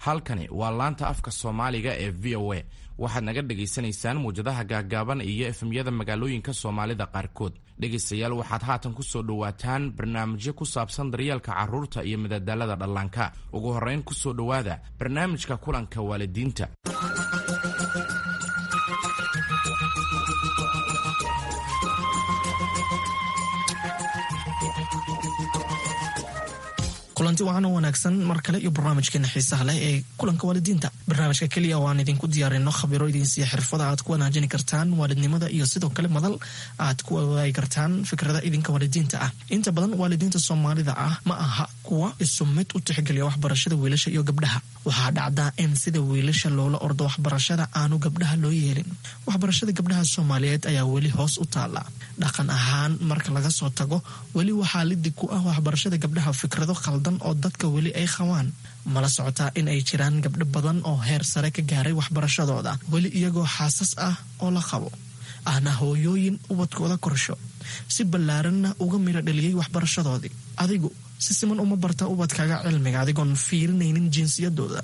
Halkani waa laanta afka Soomaaliga ee VOA. Waxaad naga dhagaysanaysaan muwjadaha gaaggaaban iyo FM-yada magaalooyinka Soomaalida qaarkood. Dhegaystayaal, waxaad haatan ku soo dhowaataan barnaamijyo ku saabsan daryeelka carruurta iyo madadaalada dhallaanka. Ugu horrayn, ku soo dhowaada barnaamijka kulanka waalidiinta. Kulanti wacan oo wanaagsan mar kale iyo barnaamijkeena xiisaha leh ee kulanka waalidiinta, barnaamijka keliya oo aan idinku diyaarino khabiro idinsiiya xirfada aad ku wanaajini kartaan waalidnimada iyo sidoo kale madal aad ku wadaagi kartaan fikrada idinka waalidiinta ah. Inta badan waalidiinta Soomaalida ah ma aha kuwa isu mid u tixgeliya waxbarashada wiilasha iyo gabdhaha. Waxaa dhacdaa in sida wiilasha loola ordo waxbarashada aanu gabdhaha loo yeelin. Waxbarashada gabdhaha Soomaaliyeed ayaa weli hoos u taala dhaqan ahaan marka laga soo tago. Weli waxaa lidig ku ah waxbarashada gabdhaha fikrado khaldan oo dadka weli ay qabaan. Mala socotaa in ay jiraan gabdho badan oo heer sare ka gaaray waxbarashadooda, weli iyagoo xaasas ah oo la qabo, ahna hooyooyin ubadkooda korsho, si ballaaranna uga miro dhaliyey waxbarashadoodii? Adigu si siman uma barta ubadkaaga cilmiga adigoon fiirinaynin jinsiyadooda?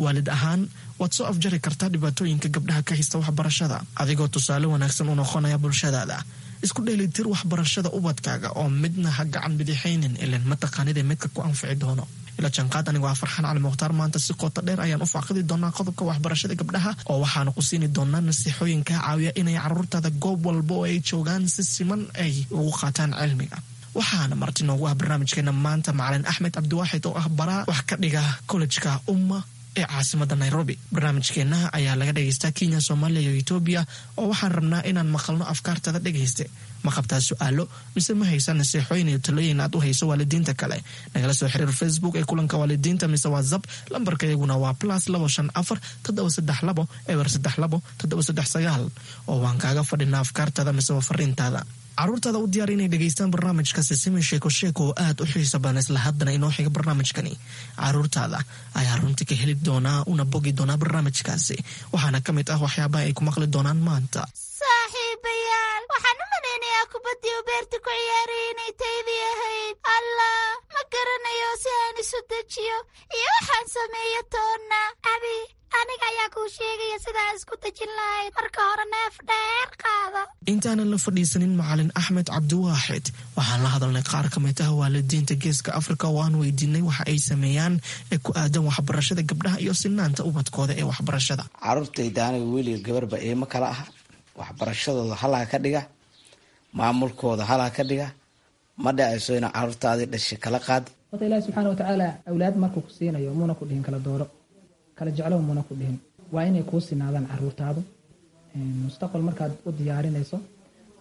Waalid ahaan waad soo afjari kartaa dhibaatooyinka gabdhaha ka haysta waxbarashada, adigoo tusaale wanaagsan u noqonaya bulshadaada. Isku dheelitir waxbarashada ubadkaaga oo midna ha gacan bidixaynin, ilan mataqaanida midka ku anfici doono. Ila janqaad, anigoo ah Farxaan Cali Mukhtaar. Maanta si qoto dheer ayaan u faaqidi doonaa qodobka waxbarashada gabdhaha, oo waxaanu ku siini doonaa nasiixooyin kaa caawiya inay caruurtaada goob walba oo ay joogaan si siman ay ugu qaataan cilmiga. Waxaana marti noogu ah barnaamijkeena maanta macalin Axmed Cabdiwaaxid oo ah baraa wax ka dhiga kollejka Umma ee caasimada Nairobi. Barnaamijkeenna ayaa laga dhegaystaa Kenya, Soomaaliya iyo Etoobiya, oo waxaan rabnaa inaan maqalno afkaartada. Dhegayste, ma qabtaa su-aalo mise ma haysa nasiixooyin iyo talooyin aad u hayso waalidiinta kale? Nagala soo xiriir Facebook ee kulanka waalidiinta mise WhatsApp. Lambarka iyaguna waa +254 732 032 739, oo waan kaaga fadhinaa afkaartada mise fariintaada. Caruurtaada u diyaar inay dhegaystaan barnaamijka Sisimi Sheeko Sheeko oo aad u xiisa badan. Isla haddana inoo xiga barnaamijkani caruurtaada ayaa runtii ka heli doonaa una bogi doonaa barnaamijkaasi. Waxaana ka mid ah waxyaabaha ay ku maqli doonaan maanta: Saaxiibayaal, waxaan u malaynayaa kubaddii u beerta ku ciyaarayay inay taydii ahayd. Allah, ma garanayo si aan isu dejiyo iyo waxaan sameeyo toonna. Abi, aniga ayaa kuu sheegaya sidaa isku dejin lahayd. Marka hore neef dheer qaada. Intaanan la fadhiisanin macalin Axmed Cabdiwaaxid, waxaan la hadalnay qaar ka mid ah waalidiinta Geeska Afrika oo aan weydiinay waxa ay sameeyaan ee ku aadan waxbarashada gabdhaha iyo sinaanta ubadkooda ee waxbarashada. Caruurtayda aniga wiil iyo gabarba iima kala aha. Waxbarashadooda halaa ka dhiga, maamulkooda halaa ka dhiga. Ma dhacayso ina caruurtaadii dhashay kala qaad. Horta Ilaahi subxaana watacaala awlaad markuu ku siinayo muuna ku dhihin kala dooro, kala jeclow muuna ku dhihin. Waa inay kuu sinaadaan caruurtaadu. Mustaqbal markaad u diyaarinayso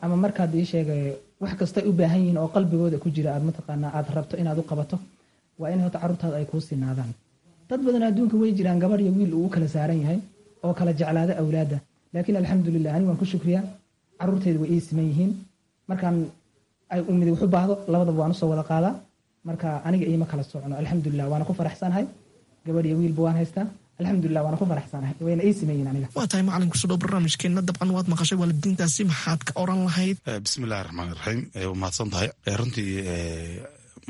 ama markaad ii sheegay wax kastay u baahan yihiin oo qalbigooda ku jira aad mataqaanaa aad rabto inaad u qabato, waa in horta caruurtaadu ay kuu sinaadaan. Dad badan adduunka way jiraan gabadh iyo wiil uu u kala saaran yahay oo kala jeclaada awlaadda, laakiin alxamdulilah, anigu waan ku shukriyaa, caruurtayda way ii siman yihiin. Markaan ay umidi wax u baahdo, labadaba waan usoo wada qaadaa. Marka aniga iima kala socno, alxamdulilah, waana ku faraxsanahay. Gabadh iyo wiilba waan haystaa, alxamdulilah, waana ku faraxsanahay, wayna ii siman yihiin aniga. Waa tahay macalin, kusoo dhow barnaamijkeenna. Dabcan waad maqashay waalidiintaasi, maxaad ka oran lahayd? Bismi illahi raxmaan iraxiim. Waa mahadsan tahay. Runtii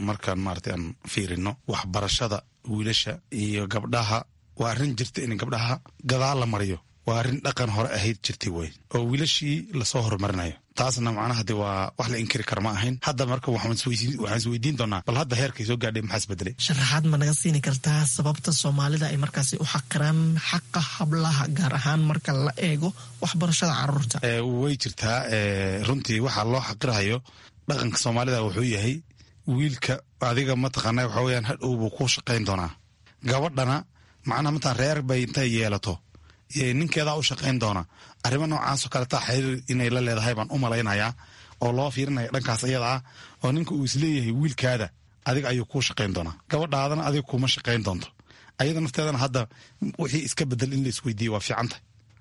markaan maaragtay aan fiirino waxbarashada wiilasha iyo gabdhaha, waa arrin jirta in gabdhaha gadaal la mariyo. Waa arrin dhaqan hore ahayd jirtay wey, oo wiilashii lasoo horumarinayo. Taasna macnaha de waa wax la inkiri kara ma ahayn. Hadda marka waxaan isweydiin doonaa, bal hadda heerkay soo gaadhay maxaa isbedelay? Sharaxaad ma naga siini kartaa sababta Soomaalida ay markaasi u xaqiraan xaqa hablaha, gaar ahaan marka la eego waxbarashada caruurta? Way jirtaa. Runtii waxaa loo xaqirahayo dhaqanka Soomaalida wuxuu yahay wiilka adiga mataqaana waxa weyaan hadhow buu ku shaqayn doonaa. Gabadhana macnaha mataan reer bay intay yeelato ninkeedaa u shaqayn doona. Arrimo noocaasoo kaletaa xiriir inay la leedahay baan u malaynayaa, oo loo fiirinaya dhankaas iyada ah, oo ninka uu isleeyahay wiilkaada adiga ayuu kuu shaqayn doonaa, gabadhaadana adiga kuma shaqayn doonto. Ayada nafteedana hadda wixii iska bedel in la isweydiiye waa fiicanta,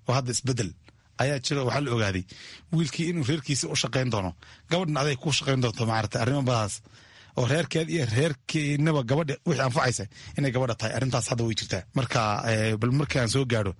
oo hadda isbedel ayaa jira. Waxaa la ogaaday wiilkii inuu reerkiisa u shaqayn doono, gabadhan aday kuu shaqayn doonto. Maarata arrimo badaas oo reerkeed iyo reerkeenaba gabadha wixii anfacaysa inay gabadha tahay, arrintaas hadda way jirtaa. Marka bal markaan soo gaadho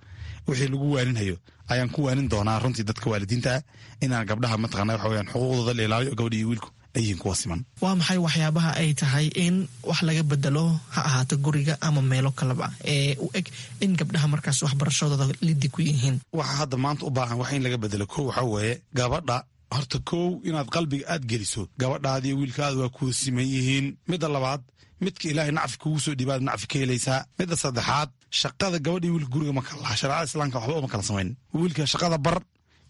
wixii lagu waaninhayo ayaan ku waanin doonaa runtii dadka waalidiinta ah inaan gabdhaha mataqana waxa weyaan xuquuqdooda la ilaaliyo, gabadha iyo wiilku ay yihiin kuwa siman. Waa maxay waxyaabaha ay tahay in wax laga bedelo, ha ahaato guriga ama meelo kaleba, ee u eg in gabdhaha markaas waxbarashadooda lidi ku yihiin? Waxa hadda maanta u baahan wax in laga bedelo, kow waxaa weeye gabadha horta kow inaad qalbiga aad geliso gabadhaadiiyo wiilkaada waa kuwa siman yihiin. Midda labaad, midka ilaahay nacfi kugu soo dhiibaad nacfi ka helaysaa. Midda saddexaad, shaqada gabadhii wiilka guriga ma kala laha. Shareecada islaamka waxba uma kala samayn. Wiilka shaqada bar,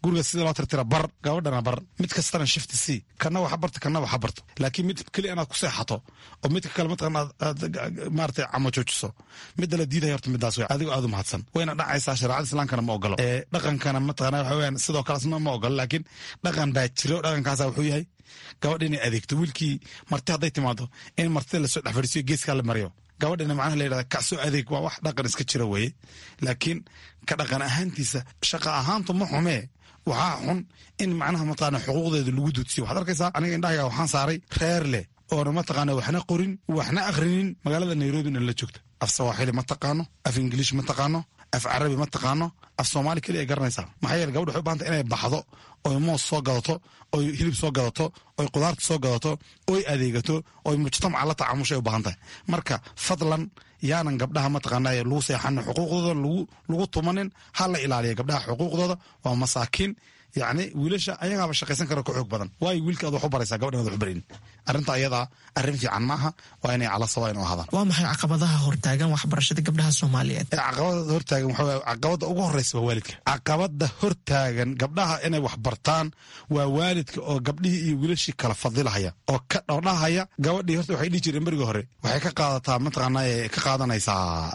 guriga sida loo tirtira bar, gabadhana bar. Mid kastana shift c, kana waxa barto, kana waxa barto. Laakiin mid keli inaad ku seexato oo midka kale mataqan aad maaragtay camo joojiso, midda la diidaya horta midaas wey. Adigoo aad u mahadsan wayna dhacaysaa. Shareecada islaamkana ma ogolo, ee dhaqankana mataqana waxa weeyaan sidoo kale asna ma ogolo. Laakiin dhaqan baa jiro. Dhaqankaasa wuxuu yahay gabadha inay adeegto wiilkii. Marti hadday timaado in martida lasoo dhex fadhiisiyo, geeskaa la mariyo, gabadhina macnaha la yidhahda kacsoo adeeg. Waa wax dhaqan iska jira weeye. Laakiin ka dhaqan ahaantiisa, shaqa ahaantu ma xumee. Waxaa xun in macnaha mataqaana xuquuqdeeda lagu duudsiyo. Waxaad arkaysaa, aniga indhahayga waxaan saaray reer leh oona mataqaana waxna qorin waxna akhrinin, magaalada Nairobina la joogta. Af Sawaaxili ma taqaano, af Ingiliish ma taqaano, af Carabi ma taqaano, af Soomaali keliya ay garanaysaa. Maxaa yeele gabadha waxay u bahantay inay baxdo oy moos soo gadato, oy hilib soo gadato, oy qudaarta soo gadato, oy adeegato, oy mujtamaca la tacaamushay u baahan tahay. Marka fadlan yaanan gabdhaha mataqaanaa lagu seexanin, xuquuqdooda lagu tumanin. Ha la ilaaliya gabdhaha xuquuqdooda, waa masaakiin. Yacni wiilasha ayagaaba shaqaysan kara, ka xoog badan. Waayo wiilka aad wax u baraysaa, gabadhan aad wax u barin? Arrinta ayadaa arrin fiican maaha. Waa inay cala sawa inu ahaadaan. Waa maxay caqabadaha hortaagan waxbarashada gabdhaha Soomaaliyeed? Caqabada hortaagan waxaa weeye, caqabada ugu horreysa waa waalidka. Caqabada hortaagan gabdhaha inay wax bartaan waa waalidka oo gabdhihii iyo wiilashii kala fadilahaya oo ka dhowdhahaya. Gabadhii horta waxay dhihi jireen berigii hore waxay ka qaadataa mataqaanaa ka qaadanaysaa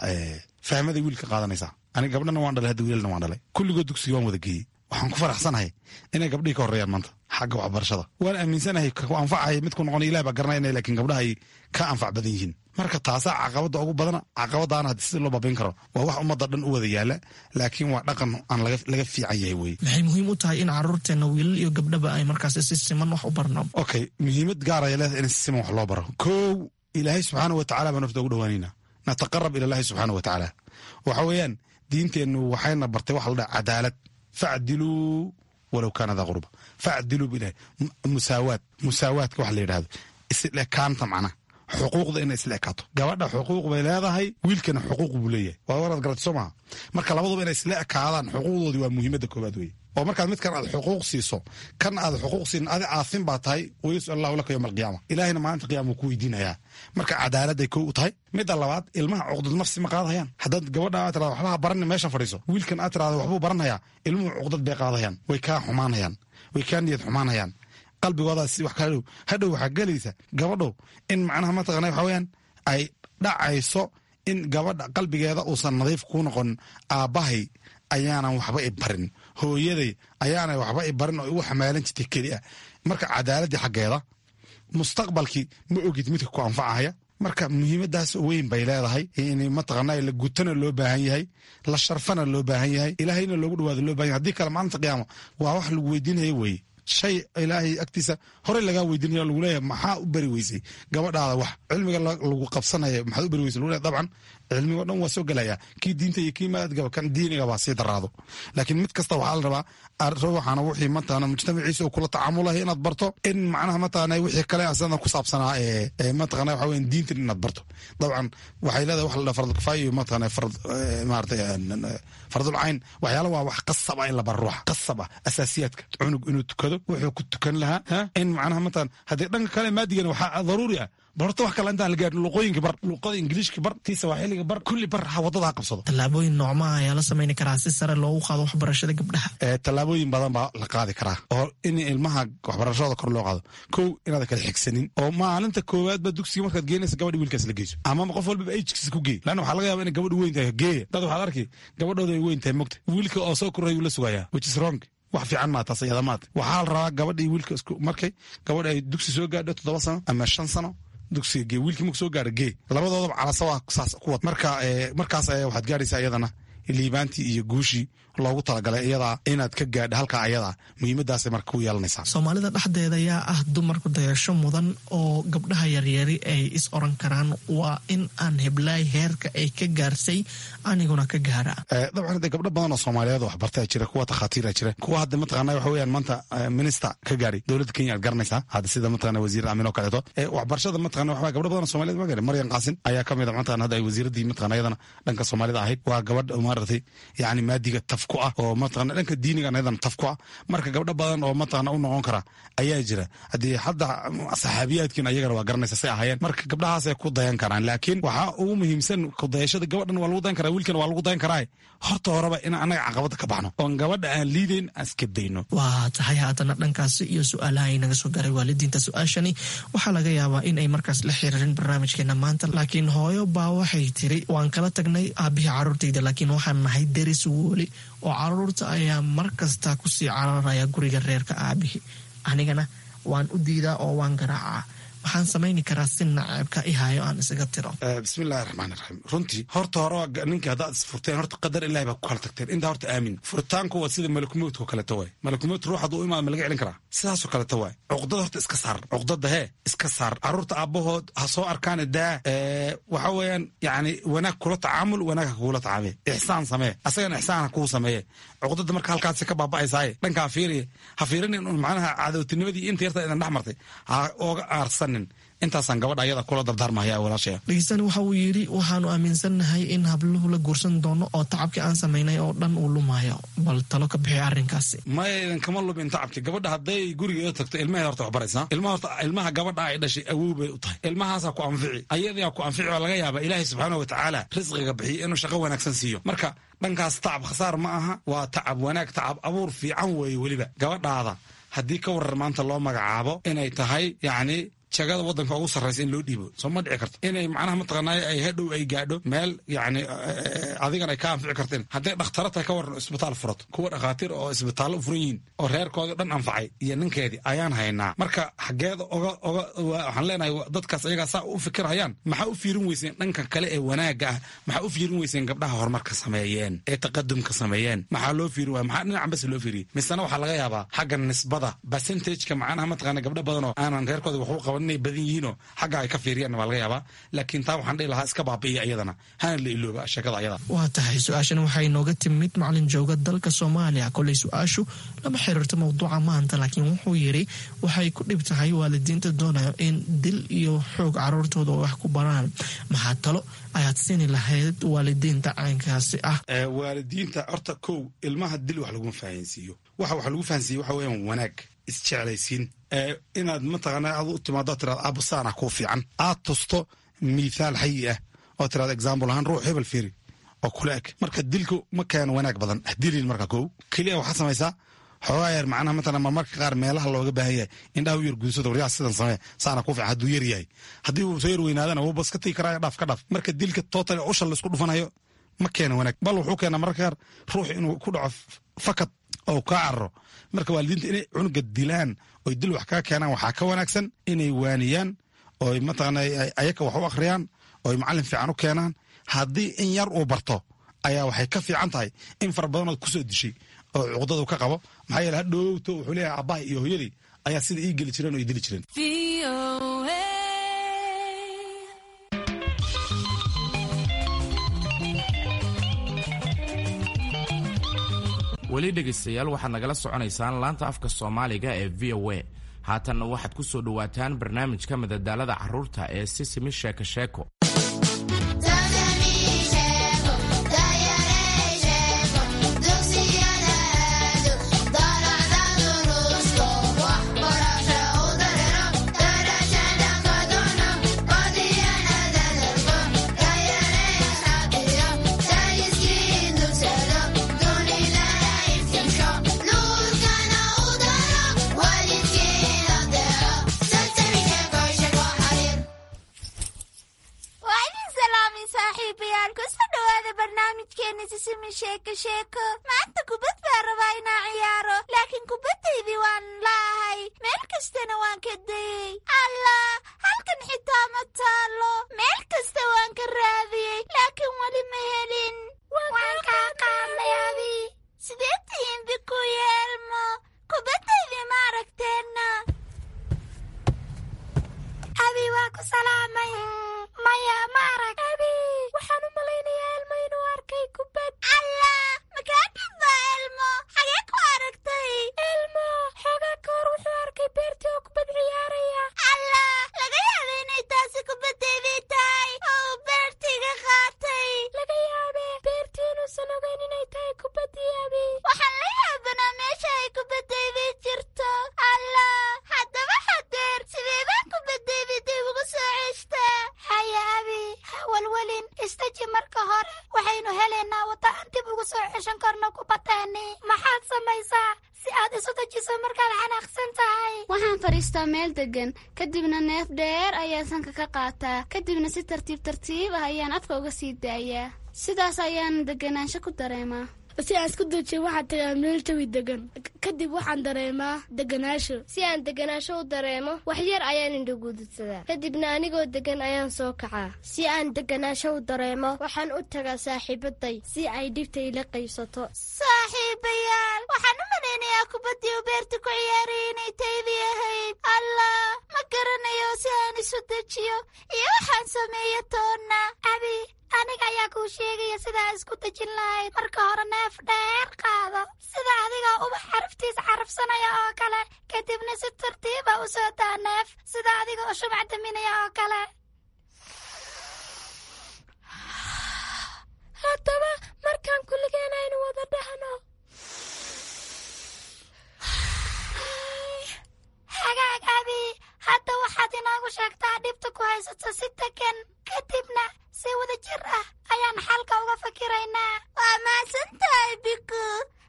fahmada wiilka qaadanaysaa. Aniga gabdhana waan dhalay hadda, wiilalna waan dhalay. Kulligood dugsiga waan wada geeyey. Waxaan ku faraxsanahay inay gabdhihii ka horreeyaan maanta xagga waxbarashada. Waan aaminsanahay ku anfacaya midku noqon Ilah baa garanaya, lakin gabdhaha ay ka anfac badan yihiin. Marka taasaa caqabada ugu badana. Caqabadaana hadii sida loo baabin karo waa wax ummadda dhan u wada yaala, laakiin waa dhaqan aan laga fiican yahay weye. Maxay muhiim u tahay in caruurteena wiilal iyo gabdhaba ay markaas si siman wax u barno? Okay, muhiimad gaar ay leedahay in si siman wax loo baro. Kow, Ilaahay subxaana wa tacala baan horta ugu dhawaanayna, nataqarab ila Allahi subxaana wa tacaala. Waxa weeyaan diinteennu waxayna bartay waxa la dhaha cadaalad. Facdiluu walow kaana daa qurba, facdiluu bilahi. Musaawaad, musaawaadka waxa la yidhahdo isla ekaanta, macnaha xuquuqda inay isla ekaato. Gabadha xuquuq bay leedahay, wiilkana xuquuq buu leeyahay. Waa waraad garatay soo maha? Marka labaduba inay isla ekaadaan xuquuqdoodii waa muhiimadda koowaad weye. Oo markaad midkan aad xuquuq siiso, kan aad xuquuq siin, adi aafin baa tahay. Wayasal Allahu laka yowma alqiyaama, Ilaahina maalinta qiyama wuu ku weydiinayaa. Marka cadaaladday kow u tahay. Midda labaad, ilmaha cuqdad nafsi ma qaadayaan. Haddaad gabadha aad tirahdo waxba ha baranin, meesha fadhiiso, wiilkan aad tirahdo waxbuu baranhayaa, ilmuhu cuqdad bay qaadayaan, way kaa xumaanayaan, way kaa niyad xumaanayaan, qalbigoodaas wax kala dhow. Hadhow waxaa gelaysa gabadhow in macnaha mataqana waxa weeyaan ay dhacayso in gabadha qalbigeeda uusan nadiif ku noqon. Aabbahay ayaanan waxba i barin, hooyaday ayaanay waxba i barin oo igu xamaalan jirtay keli ah. Marka cadaaladdii xaggeeda, mustaqbalkii ma ogid midka ku anfacahaya. Marka muhiimadaas weyn bay leedahay in mataqaana la gutana loo baahan yahay, la sharfana loo baahan yahay, Ilaahayna loogu dhawaado loo baahan yahay. Haddii kale maalinta qiyaama waa wax lagu weydiinaya weeye. Shay Ilaahay agtiisa horey lagaa weydiinaya, lagu leeyahay maxaa u bari weysay gabadhaada wax cilmiga lagu qabsanaya, maxaad u bari weysay lagu leeyahay. Dabcan cilmiga o dhan waa soo gelaya, kii diinta iyo kii maadgaba, kan diiniga baa sii daraado. Laakiin mid kasta waxaa la rabaa ruuxana wixii mataqaana mujtamaciisa uu kula tacaamulahay inaad barto, in macnaha mataqaana wixii kale asana ku saabsanaa ee mataqaana waxa weeyaan diintan inaad barto. Dabcan waxay leedahay wax la dhaha farad kifaaya iyo mataqaana farad maaragtay fardul cayn. Waxyaala waa wax qasab ah in la baro ruuxa, qasab ah asaasiyaadka, cunug inuu tukado, wuxuu ku tukan lahaa, in macnaha mataqaana haddii dhanka kale maadigana waxaa daruuri ah. Bal horta wax kale intaan la gaarin, luqooyinka bar, luqada Ingiliishka bar, tii Sawaaxiliga bar, kulli bar, ha waddada ha qabsado. Tallaabooyin noocmaha ayaa la samayni karaa si sare loogu qaado waxbarashada gabdhaha? Tallaabooyin badan baa la qaadi karaa oo in ilmaha waxbarashadooda kor loo qaado. Kow, inaad kala xigsanin oo maalinta koowaadba dugsiga markaad geenaysa gabadha wiilkaas la geyso, ama qof walbaba age-kiisa ku geey, lanna waxaa laga yaaba inay gabadhu weyn tahay. Geeya dad waxaad arki gabadhooda ay weyn tahay mogta, wiilka oo soo koray la sugayaa, which is wrong. Wax fiican maa taas iyada maata. Waxaa la rabaa gabadha iyo wiilka isku markay gabadha ay dugsi soo gaadho 7 sano ama 5 sano, dugsiga gee. Wiilkii marku soo gaaro gee. Labadoodaba calasawa saas ku wad. Marka markaas ayaa waxaad gaaraysaa iyadana Liibaantii iyo guushii loogu talagalay iyadaa inaad ka gaadha halkaa ayadaa, muhiimadaasay marka ku yeelanaysaa. Soomaalida dhexdeeda ayaa ah dumarku dayasho mudan oo gabdhaha yaryari ay is oran karaan, waa in aan heblaay heerka ay ka gaarsay aniguna ka gaara? Dabcan de gabdho badan oo Soomaaliyeed oo waxbartaa jira, kuwa takhaatiira jira, kuwa hadda mataqaana waxa weeyaan maanta minister ka gaari dowladda Kenya aad garanaysaa hadda, sida mataqana wasiir Aamin oo kaleeto. Waxbarashada mataqana waxaa gabdho badan oo Soomaaliyeed ma gaari. Maryan Qaasin ayaa ka mid a, mataqana hadda ay wasiiraddii mataqana iyadana dhanka Soomaalida ahayd. Waa gabadh maaragtay yacni maadiga taf ku ah oo mataqana dhanka diinigan iyadana taf ku ah. Marka gabdho badan oo mataqana u noqon kara ayaa jira. Haddii hadda saxaabiyaadkiina ayagana waa garanaysa say ahaayeen. Marka gabdhahaasay ku dayan karaan, laakiin waxaa ugu muhiimsan kudayashada gabadhan waa lagu dayan karaa, wiilkan waa lagu dayan karaa. Horta horeba in annaga caqabada ka baxno oon gabadha aan liidayn aan iska dayno. Waa tahay. Haatana dhankaasi iyo su-aalaha ay naga soo gaaray waalidiinta. Su-aashani waxaa laga yaabaa in ay markaas la xiriirin barnaamijkeena maanta, laakiin hooyo baa waxay tiri: waan kala tagnay aabihii caruurtayda, laakiin waxaan nahay deris weli, oo caruurta ayaa mar kasta kusii cararaya guriga reerka aabihii, anigana waan u diidaa oo waan garaacaa. Waxaan samayni karaa si naceebka ihayo aan isaga tiro? Bismillahi raxmaan iraxiim. Runtii horta hore ninka haddaad isfurteen, horta qadar Ilahi baa ku kala tagteen. Intaa horta aamin. Furitaanku waa sida malakumowdka oo kaleeto waay. Malakumowd ruux hadduu imaado ma laga celin karaa? Sidaasoo kaleeto waay. Cuqdada horta iska saar, cuqdada hee iska saar. Carruurta aabbahood ha soo arkaan daa. Waxa weeyaan yacni wanaag kula tacaamul, wanaag ha kugula tacaamee, ixsaan samee, asagana ixsaan ha kuu sameeye. Cuqdada marka halkaasi ka baaba'aysaaye dhankaa fiiriye, ha fiirinin un macnaha cadowtinimadii inta yarta idan dhex martay ha ooga aarsanin. Intaasaan gabadha ayada kula dardaarmahaya, walaashaya. Dhegeystani waxa uu yidhi: waxaanu aaminsannahay in habluhu la guursan doono oo tacabkii aan samaynay oo dhan uu lumayo. Bal talo ka bixi arrinkaasi. Maya, idan kama lumin tacabki. Gabadha hadday gurigeeda tagto ilmaheeda horta wax baraysaa. Ilmaha horta, ilmaha gabadha ay dhashay awow bay u tahay. Ilmahaasaa ku anfici, ayadaa ku anfici. Waa laga yaabaa Ilaahay subxaana watacaala risqiga bixiyo inuu shaqo wanaagsan siiyo. Marka dhankaas tacab khasaar ma aha, waa tacab wanaag, tacab abuur fiican weeye. Weliba gabadhaada haddii ka warar maanta loo magacaabo inay tahay yacni jagada waddanka ugu sarraysa in loo dhiibo, soo ma dhici karto inay macnaha mataqaanaa ay hadhow ay gaadho meel yacni adigan ay ka anfici karteen? Hadday dhakhtaro tahay ka waran, isbitaal furato, kuwa dhakhaatiir oo isbitaallo u furan yihiin oo reerkoodii dhan anfacay iyo ninkeedii ayaan haynaa. Marka xaggeeda oga waxaan leenahay dadkaas ayagaa saa u fikirhayaan, maxaa u fiirin weyseen dhanka kale ee wanaagga ah? Maxaa u fiirin weyseen gabdhaha horumarka sameeyeen ee taqadumka sameeyeen? Maxaa loo fiirin waaya? Maxaa dhinacan bas loo fiiriyey? Misena waxaa laga yaabaa xagga nisbada percentageka macnaha mataqaana gabdho badan oo aanan reerkooda waxu qaban inay badan yihiinoo xagga ay ka fiiriyaan waa laga yaabaa. Laakiin taa waxaan dhihi lahaa iska baabi'iya iyadana, hana la ilooba sheekada ayada. Waa tahay. Su-aashan waxay nooga timid macalin jooga dalka Soomaaliya. Koley su-aashu lama xiriirto mowduuca maanta, laakiin wuxuu yidhi waxay ku dhib tahay waalidiinta doonayo in dil iyo xoog caruurtooda wax ku baraan. Maxaa talo ayaad siini lahayd waalidiinta caynkaasi ah? Waalidiinta horta kow, ilmaha dil wax laguma fahansiiyo. Waxa lagu fahansiiyo waxa weeyaan wanaag, isjeclaysiin, inaad mataqaana aad u timaado tiraad aabbo saana kuu fiican, aad tusto mithaal xayi ah oo tiraad example ahaan ruux hebel fiiri oo kula eg. Marka dilku ma keeno wanaag badan, dilin. Marka kow keliya waxaad samaysaa xoogaa yar macnaha matalan marmarka qaar meelaha looga baahan yahay indhaha u yar guudsada, waryaa sidan samee, saana kuu fiican. Hadduu yar yahay, haddii uu soo yar weynaadana wuu bas ka tigi karaa, dhaaf ka dhaaf. Marka dilka total usha laisku dhufanayo ma keeno wanaag, bal wuxuu keenaa mararka qaar ruux inuu ku dhaco fakad oo kaa cararo. Marka waalidiinta inay cunuga dilaan oy dil wax kaga keenaan waxaa ka wanaagsan inay waaniyaan oy mataqaana ayaka wax u akhriyaan oy macallin fiican u keenaan. Haddii in yar uu barto ayaa waxay ka fiican tahay in fara badanood kusoo dishay oo cuqdadu ka qabo. Maxaa yeele hadhowto wuxuu leeyahay aabbaha iyo hooyadii ayaa sida ii geli jireen oo ii dili jireen. Weli dhegaystayaal, waxaad nagala soconaysaan laanta afka Soomaaliga ee VOA. Haatanna waxaad ku soo dhowaataan barnaamijka madadaalada carruurta ee Sisimi Sheeko Sheeko. Waa idin salaamay, saaxiibayaal. Kusoo dhawaada barnaamijkeena Sisimi Sheeko Sheeko. Maanta kubad baa rabaa inaan ciyaaro, laakiin kubaddaydii waan laahay, meel kastana waan ka dayey. Allah, halkan xitaa ma taalo. Meel kasta waan ka raadiyey, laakiin weli ma helin. Waan kaa qaadnay Abi. Sidee tihiin Biku iyo Elmo? Kubaddaydii ma aragteenna? Abi, waa ku salaamay. Maya, ma arag. Abi, waxaan u malaynayaa Elmo inuu arkay kubad. Allah, makaa dhibba Elmo? Xagee ku aragtay? Elmo xoogaa ka hor wuxuu arkay beertii oo kubad ciyaaraya. Allah, laga yaabay inay taasi kubaddaydii tahay oo uu beertiiga qaatay. Laga yaabee beertii inuusan ogeyn inay tahay kubaddii Abi. Waxaan la yaabanaa meesha ay kubaddaydii jirto. Allah, haddaba hadeer sidee baan kubaddaydii dib ugu soo ceshtaa? Haya Abi, ha walwalin, istaji marka hore. Waxaynu helaynaa waddo aan dib ugu soo ceshan karno kubaddeeni. Maxaad samaysaa si aad isu dejiso markaad xanaaqsan tahay? Waxaan fadhiistaa meel deggan, kadibna neef dheer ayaan sanka ka qaataa, kadibna si tartiib tartiib ah ayaan afka uga sii daayaa. Sidaas ayaan deganaansho ku dareemaa. Si aan isku dejiyo, waxaan tagaa meel jawi degan, kadib waxaan dareemaa deganaasho. Si aan deganaasho u dareemo, wax yar ayaan indhagududsadaa, kadibna anigoo degan ayaan soo kacaa. Si aan deganaasho u dareemo, waxaan u tagaa saaxiibaday si ay dhibta ila qaybsato. Saaxiibayaal, waxaan u malaynayaa kubaddii uu beerta ku ciyaarayay inay taydii ahayd. Allah, ma garanayo si aan isu dejiyo iyo waxaan sameeyo toonna. Abi, aniga ayaa kuu sheegaya sidaa isku dejin lahayd. Marka hore neef dheer qaado, sida adiga ubax xaraftiis carafsanaya oo kale, kadibna si tartiiba u soo daa neef, sida adiga oo shumac daminaya oo kale. Haddaba markaan kulligeen aynu wada dhahno. Hagaag Abi, hadda waxaad inoogu sheegtaa dhibta ku haysato si degan, kadibna si wada jir ah ayaan xalka uga fakiraynaa. Waa mahadsan tahay Biku.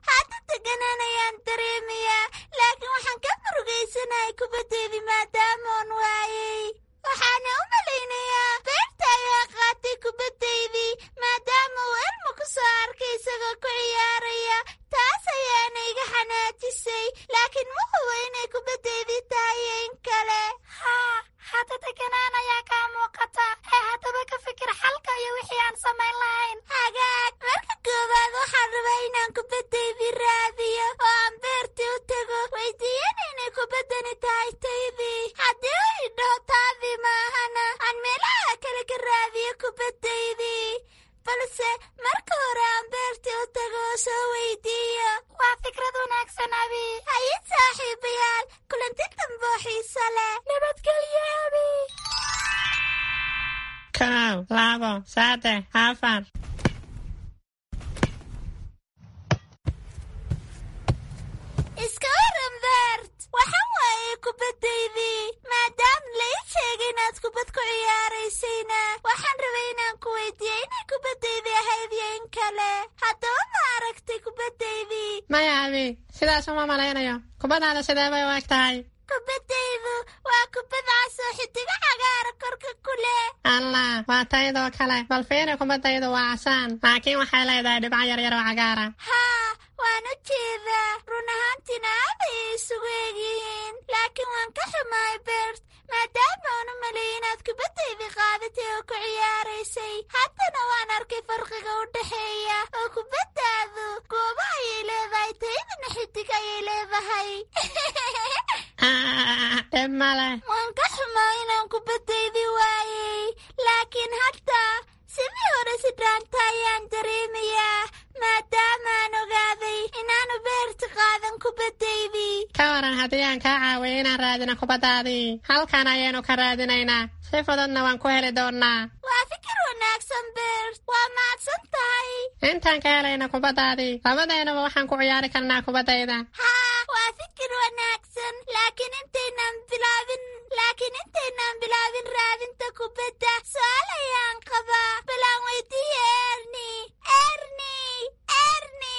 Hadda deganaan ayaan dareemayaa, laakiin waxaan ka murugaysanahay kubaddeydii maadaamoon waayey. Waxaana u malaynayaa beerta ayaa qaatay kubaddaydii maadaama uu Elmo ku soo arkay isagoo ku ciyaaraya. Taas ayaana iga xanaajisay, laakiin ma hubo inay kubaddaydii tahay iyo in kale. Haa, hadda deganaan ayaa kaa muuqata ee haddaba ka fikir xalka iyo wixii aan samayn lahayn. Hagaag, marka koowaad waxaan rabaa inaan kubaddaydii raadiyo oo aan beertii u tago, weydiiyana inay kubaddani tahay taydii. Haddii uu idhaho taadii maahana, aan meelaha kale ka raadiyo kubaddaydii, balse marka hore aan beertii u tago oo soo weydiiyo. Waa fikrad wanaagsan Abi. Haye saaxiibayaal, kulanti dambe oo xiiso leh. Nabadgelyo Abi. 1, 2, 3, 4. Iska waran Bert, waxaan waayay kubaddaydii. Maadaama la ii sheegay inaad kubad ku ciyaaraysayna, waxaan rabay inaan ku weydiiyo inay kubaddaydii ahayd iyo in kale. Haddaba ma aragtay kubaddaydii? Maya Abi, sidaas uma malaynayo. Kubaddaada sidee bay u eg tahay? Kubaddaydu waa kubad cas oo xidigo cagaara korka ku leh. Allah, waa taydoo kale. Bal fiiri, kubaddaydu waa casaan, laakiin waxay leedahay dhibco yaryar oo cagaara. Haa, waan u jeedaa. Run ahaantiina aad ayay isugu egyihiin, laakiin waan ka xumahay Bert, maadaama aan u maleeyay inaad kubaddaydii qaadatay oo ku ciyaaraysay. Haddana waan arkay farqiga u dhexeeya, oo kubaddaadu goobo ayay leedahay, taydana xidig ayay leedahay. Dhib male. Waan ka xumaa inaan kubaddaydii waayey, laakiin hadda sidii hore si dhaanta ayaan dareemayaa, maadaamaan ogaaday inaanu beerta qaadan kubaddaydii. Ka waran haddii aan kaa caawiyo inaan raadino kubaddaadii? Halkan ayaynu ka raadinaynaa, si fududna waan ku heli doonnaa. Waa fikir wanaagsan Bert, waa mahadsan tahay. Intaan ka helayna kubaddaadii, labadeennuba waxaan ku ciyaari karnaa kubaddayda. Haa, waa fikir wanaagsan, laakiin intaynaan bilaabin raadinta kubadda, su'aal ayaan qabaa. Balaan weydiiye Erni. Erni, Erni!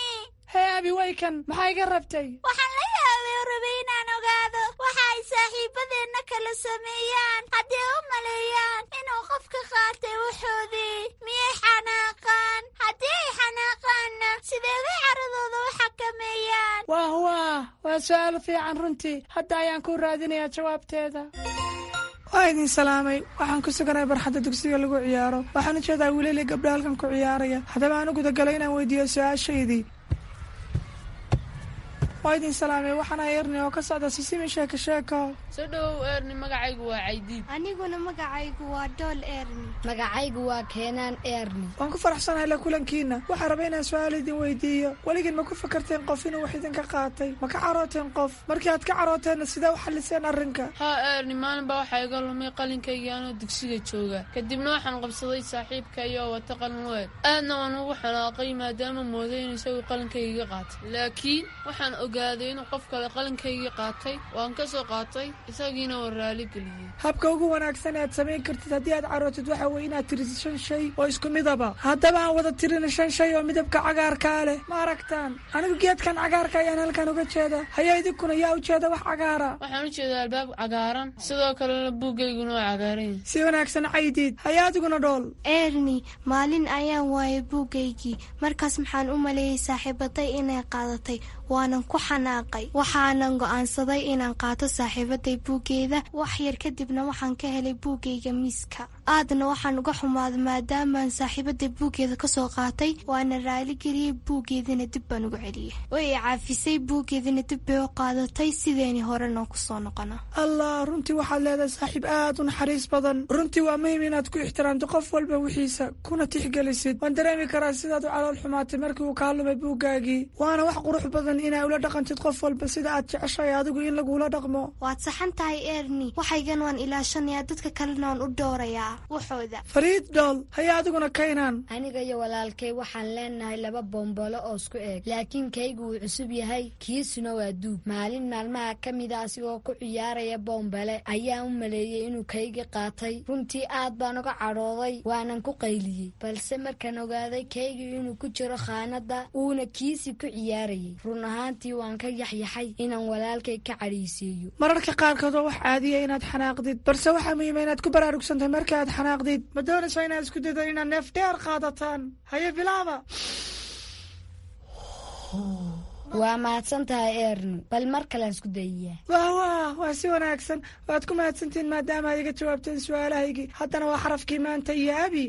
Hee Abi, waykan, maxaa iga rabtay? Waxaan la yaabay oo rabay inaan ogaado waxa ay saaxiibadeenna kala sameeyaan haddii u maleeyaan inuu qofka qaatay wuxoodii. Miyay xanaaqaan? Haddii ay xanaaqaanna, sidee bay caradooda u xakameeyaan? Waah waah, waa su'aal fiican runtii. Hadda ayaan ku raadinayaa jawaabteeda. Waa idin salaamay. Waxaan ku suganahay barxadda dugsiga lagu ciyaaro. Waxaan u jeedaa wiilal iyo gabdho halkan ku ciyaaraya. Haddaba aan u gudagalay inaan weydiiyo su-aashaydii. Waa idin salaamay, waxaan ahay Erni oo ka socda Sisimi Sheeko Sheeko. Soo dhowow Erni, magacaygu waa Caydiid. Aniguna magacaygu waa Dhool Erni. Magacaygu waa Keenaan Erni. Waan ku faraxsanahay la kulankiina. Waxaan rabay inaan su-aal idin weydiiyo. Weligiin ma ku fakarteen qof inuu wax idinka qaatay? Ma ka carooteen qof? Markii aad ka carooteenna, sidee u xalliseen arrinka? Haa Erni, maalin baa waxaa iga lumay qalinkaygii anoo dugsiga jooga. Kadibna waxaan qabsaday saaxiibkay oo wata qalin weeg. Aadna waan ugu xanaaqay maadaama mooday inuu isagu qalinkayga qaatay. Laakiin waxaan ogaaday inuu qof kale qalinkaygii qaatay. Waan ka soo qaatay, isagiina waan raali geliyey. Habka ugu wanaagsan ee aad samayn kartid haddii aad carootid waxa weeye inaad tirisid shan shay oo isku midaba. Haddaba aan wada tirina shan shay oo midabka cagaarkaa leh. Ma aragtaan? Anigu geedkan cagaarka ayaan halkan uga jeeda. Haya, idinkuna yaa u jeeda wax cagaara? Waxaan u jeedaa albaab cagaaran, sidoo kalena buuggayguna waa cagaaran yahay. Si wanaagsan, Caydiid. Haya, adiguna Dhool. Erni, maalin ayaan waayay buuggaygii. Markaas maxaan u maleeyey saaxiibaday inay qaadatay, waanan ku xanaaqay. Waxaanan go'aansaday inaan qaato saaxiibaday buuggeeda. Wax yar kadibna waxaan ka helay buuggayga miiska. Aadna waxaan uga xumaaday maadaamaan saaxiibaday buuggeeda kasoo qaatay. Waana raaligeliyey, buuggeedina dib baan ugu celiyey. Way i caafisay, buuggeedina dib bay u qaadatay. Sideeni horena kusoo noqona. Allah, runtii waxaad leedahay saaxiib aad u naxariis badan. Runtii waa muhiim inaad ku ixtiraamto qof walba wixiisa kuna tixgelisid. Waan dareemi karaa sidaad u calool xumaatay markii uu kaa lumay buuggaagii. Waana wax qurux badan inaa ula dhaqantid qof walba sida aad jeceshahay adigu in lagula dhaqmo. Waad saxan tahay Erni. Waxaygan waan ilaashanayaa, dadka kalena waan u dhowrayaa waxooda. Fariid Dhool. Haya, adiguna Kaynaan. Aniga iyo walaalkay waxaan leenahay laba bombolo oo isku eeg, laakiin kaygu wuu cusub yahay, kiisuna waa duug. Maalin maalmaha ka mida asigoo ku ciyaaraya bombale ayaan u maleeyey inuu kaygii qaatay. Runtii aad baan uga cadhooday, waanan ku qayliyey. Balse markaan ogaaday kaygii inuu ku jiro khaanadda uuna kiisii ku ciyaarayay, run ahaantii waan ka yaxyaxay inaan walaalkay ka cadhaysiiyo. Mararka qaarkood waa wax caadiya inaad xanaaqdid, balse waxaa muhiima inaad ku baraarugsantahay marka aad xanaaqdid. Ma doonaysaa inaad isku daydo inaad neef dheer qaadataan? Haye, bilaaba. Waa mahadsan tahay Erni, bal mar kalean isku dayiyaa. Wah wah, waa si wanaagsan. Waad ku mahadsantihiin maadaama aad iga jawaabteen su-aalahaygii. Haddana waa xarafkii maanta iyo Abi.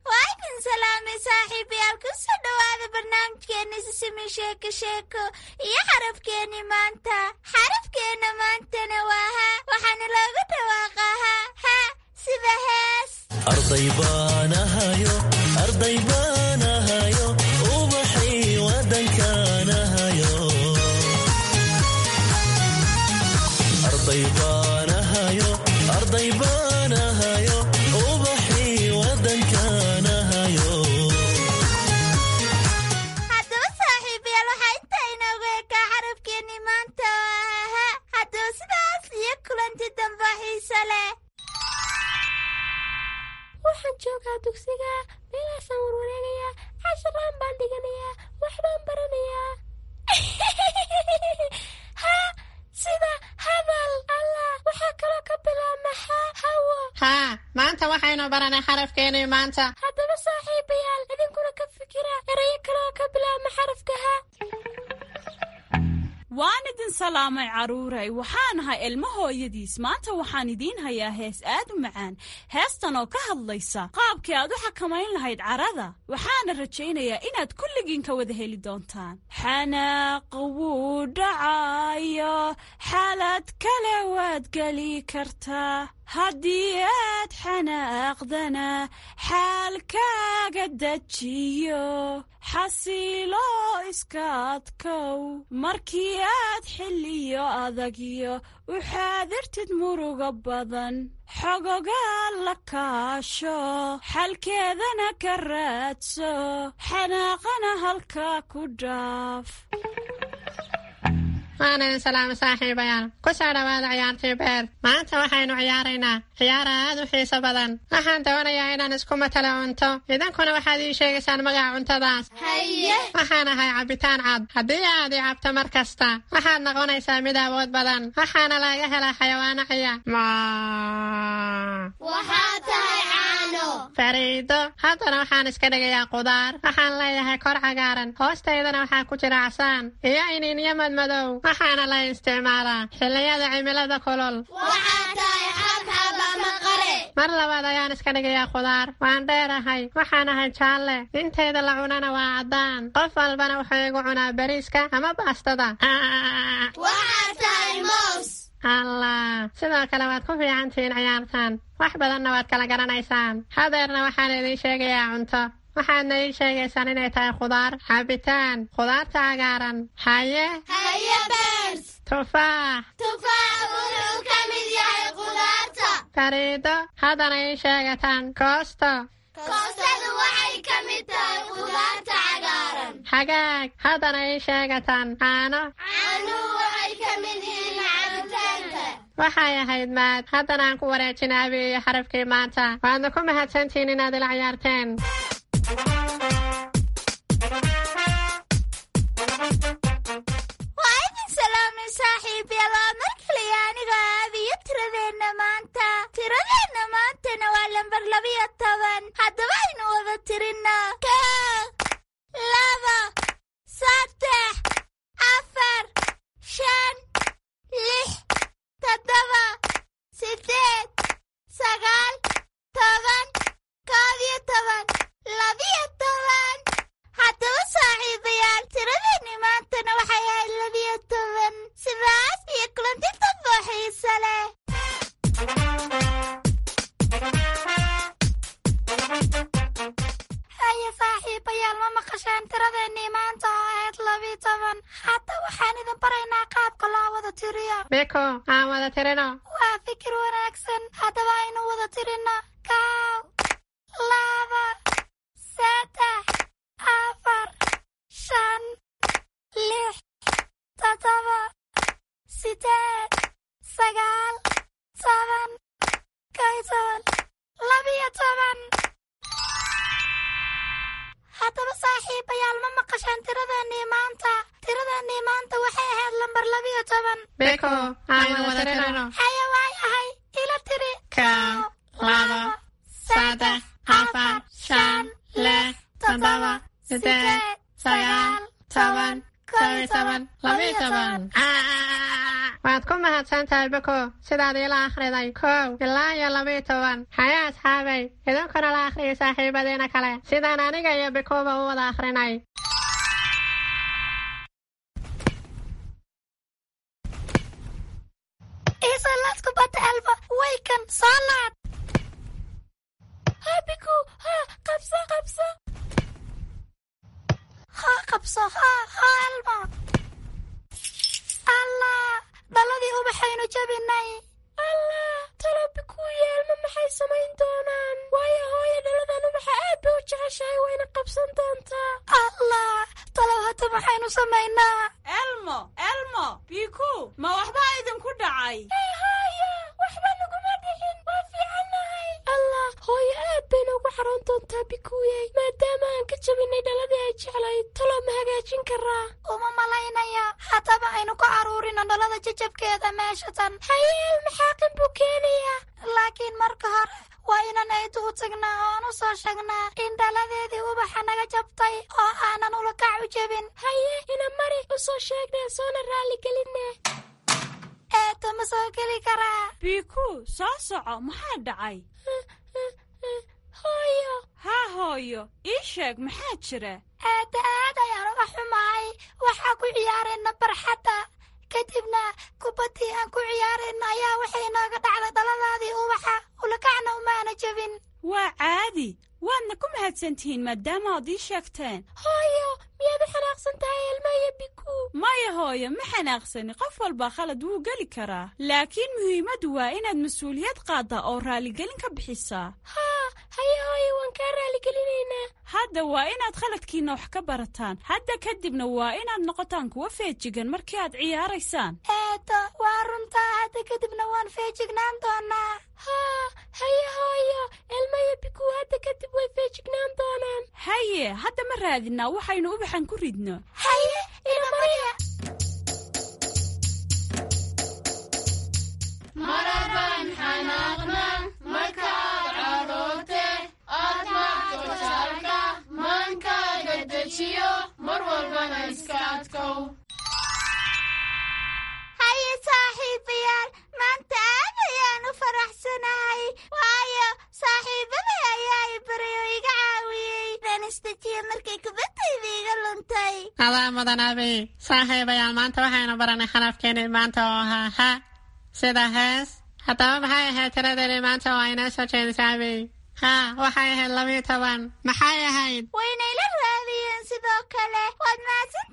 Waa idin salaamay saaxiibayaal, kusoo dhowaada barnaamijkeeni Sisimi Sheeko Sheeko iyo xarafkeeni maanta. Xarafkeena maantana waa ha, waxaana loogu dhawaaqaa ha ha sida hees. Arday baan ahayo, arday baan ahayo, ubaxay wadankaan ahayo. Arday baan ahayo, arday baan ahayo, ubaxay wadankaan ahayo. Haddaba saaxiibayaal, waxaa intaa inoogu ekaa xarafkeeni maanta oo ah ha. Haddaba sidaas iyo kulanti dambe xiise leh. Waxaan joogaa dugsiga, meelaasaan warwareegayaa, casharaan baan dhiganayaa, waxbaan baranayaa. Ha sida hadal. Allah, waxaa kaloo ka bilaabma ha hawo. Haa, maanta waxaynu baranay xarafkeenii maanta. Haddaba saaxiibayaal, idinkuna ka fikira erayo kale oo ka bilaabma xarafka ha. Waan idin salaamay carruuray. Waxaan ahay ilmo hooyadiis. Maanta waxaan idiin hayaa hees aad u macaan, heestan oo ka hadlaysa qaabkii aad u xakamayn lahayd carada. Waxaana rajaynayaa inaad kulligiin ka wada heli doontaan. Xanaaq wuu dhacayo, xaalad kale waad geli kartaa. Haddii aad xanaaqdana, xaalkaaga dejiyo, xasiilo, iska adkow. Markii aad xilliyo adagyo u xaadirtid muruga badan, xogogaa la kaasho, xalkeedana ka raadso, xanaaqana halkaa ku dhaaf. Waan idin salaamay saaxiibayaal, ku soo dhowaada ciyaartii beer. Maanta waxaynu ciyaaraynaa ciyaar aad u xiiso badan. Waxaan doonayaa inaan isku matalo cunto, idinkuna waxaad ii sheegaysaan magaca cuntadaas. Haye. Waxaan ahay cabitaan cad. Haddii aad i cabto mar kasta, waxaad noqonaysaa mid awood badan. Waxaana laga helaa xayawaano ciya. Waxaa tahay caano. Fariido. Haddana waxaan iska dhigayaa qudaar. Waxaan leeyahay kor cagaaran, hoostaydana waxaa ku jira casaan iyo iniinyo madmadow. Waxaana la isticmaalaa xilliyada cimilada kulul. Waxaa tahay xabxab. Mar labaad ayaan iska dhigayaa khudaar. Waan dheerahay, waxaan ahay jaalle, intayda la cunana waa caddaan. Qof walbana wuxuu igu cunaa bariiska ama baastada. Waxaad tahay moos. Allah, sidoo kale waad ku fiicantihiin ciyaartan, wax badanna waad kala garanaysaan. Hadeerna waxaan idiin sheegayaa cunto, waxaadna ii sheegaysaan inay tahay khudaar, cabitaan, khudaarta cagaaran. Haye? Haye Beers. Tufaax. Tufaax wuxuu ka mid yahay khudaarta. Fariido, haddana ii sheegataan koosto. Koostadu waxay ka mid tahay khudaarta cagaaran. Hagaag, haddana ii sheegataan caano. Caanuhu waxay ka mid yihiin cabitaanka. Waxay ahayd maad. Haddana aan ku wareejina Abi iyo xarafkii maanta. Waadna ku mahadsantihiin inaad ila ciyaarteen. Waa idin salaamay saaxiibyaal, waa mar kaliya aniga Aabiyo tiradeenna maanta. Tiradeenna maantana waa lambar 12. Haddaba aynu wada tirinno: 1, 2, 3, 4, 5, 6, 7, 8, 9, 10, 11, 12. Haddaba saaxiibayaal, tiradeenni maantana waxay ahayd 12. Sidaas iyo kulanti dambo xiise leh. Haye saaxiibayaal, ma maqasheen tiradeennii maanta oo ahayd 12? Hadda waxaan idin baraynaa qaabka loo wada tiriyo. Biko, aan wada tirino. Waa fikir wanaagsan. Haddaba aynu wada tirino: 1, 2, 3, 4, 5, 6, 7, 8, 9, 10, 11, 12. Haddaba saaxiibayaal, ma maqasheen tiradeennii maanta? Tiradeennii maanta waxay ahayd lambar 12. Biko, aan wada tirino. Haye, waay ahay, ila tiri. 1, 2, 3, 4, 5, 6, 7, 8, 9, 10, 11, 12. Waad ku mahadsan tahay Biko sidaad iila akhriday 1 ilaa iyo 12. Haya asxaabay, idinkuna la akhriyay saaxiibadiina kale sidaan aniga iyo Bikoba u wada akhrinay. Iisoo kubadda Elmo, waykan, soo laad. Ha Biku, ha, qabso qabso. Ha, qabso, ha ha Elmo. Allah, dhaladii ubaxaynu jabinay. Allah, talo Biku iyo Elmo maxay samayn doonaan? Waayo hooyo dhaladan ubaxa aad bay u jeceshahay, wayna qabsan doontaa. Allah, talow hadda maxaynu samaynaa? Elmo, Elmo, Biku, ma waxbaa idinku dhacay? Hey hooyo, waxba naguma dhicin, waa fiicannahay. Allah, hooyo aad bay noogu xaroon doontaa Bikuyey, maadaama aan ka jabinay dhaladii ay jeclayd. Talo ma hagaajin karaa? Uma malaynaya. Haddaba aynu ku caruurino dhalada jajabkeeda meesha tan. Haye, Elmo xaaqin buu keenayaa. Laakiin marka hore waa inaan eedu u tagnaa oo aan u soo sheegnaa in dhaladeedii ubaxa naga jabtay oo aanan ulakac u jebin. Haye, ina mari, u soo sheegnaa soona raaligelinaa. Eedo, ma soo geli karaa? Biku, soo soco, maxaa dhacay? Hooyo. Haa hooyo, ii sheeg maxaa jira? Eedda, aad ayaan uga xumahay. Waxaa ku ciyaarayna barxadda, kadibna kubaddii aan ku ciyaarayna ayaa waxay inooga dhacday dhaladaadii ubaxa, ulakacna umaana jebin. Waa caadi, waadna ku mahadsantihiin maadaama aad ii sheegteen. Hooyo, miyaad u xanaaqsan tahay Elmo iyo Biku? Maya hooyo, ma xanaaqsani. Qof walba khalad wuu geli karaa, laakiin muhiimaddu waa inaad mas-uuliyad qaaddaa oo raaligelin ka bixisaa. Haa, haye hooyo, waan kaa raaligelineynaa. Hadda waa inaad khaladkiinna wax ka barataan. Hadda kadibna waa inaad noqotaan kuwa feejigan markii aad ciyaaraysaan. Eedo, waa runtaa, hadda kadibna waan feejignaan doonaa. Haa, haye hooyo, Elmo iyo Biku hadda kadib way feejignaan doonaan. Haye, hadda ma raadinaa waxaynu ubaxan ku ridno? Haye, ina mariya. Marabaan xanaaqna markaad cadhoote, aad maagto jaalka, maankaaga dejiyo, mar walbana iska adkow. Haye saaxiibayaal, maanta aad ayaan u faraxsanahay, waayo Adaa mudan Abi. Saaxiibayaal, maanta waxaynu baranay xarafkeenii maanta oo ahaa ha, sida hees. Haddaba maxay ahayd tiradeeni maanta oo aynoo soo jeedisay, Abi? Ha, waxay ahayd 12. Maxay ahayd? Waynayla raadiyeen sidoo kale. Waad mahadsan.